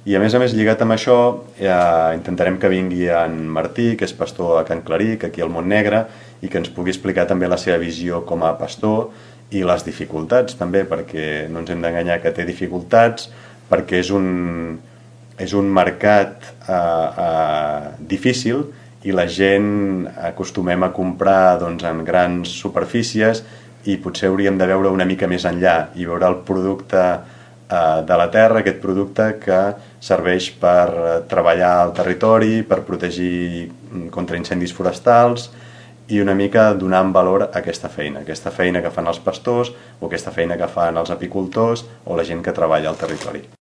I a més, lligat amb això, intentarem que vingui en Martí, que és pastor a Can Claric, aquí al Montnegre, i que ens pugui explicar també la seva visió com a pastor i les dificultats també, perquè no ens hem d'enganyar que té dificultats, perquè és un mercat difícil i la gent acostumem a comprar doncs, en grans superfícies i potser hauríem de veure una mica més enllà i veure el producte de la terra, aquest producte que serveix per treballar al territori, per protegir contra incendis forestals i una mica donar en valor a aquesta feina que fan els pastors o aquesta feina que fan els apicultors o la gent que treballa al territori.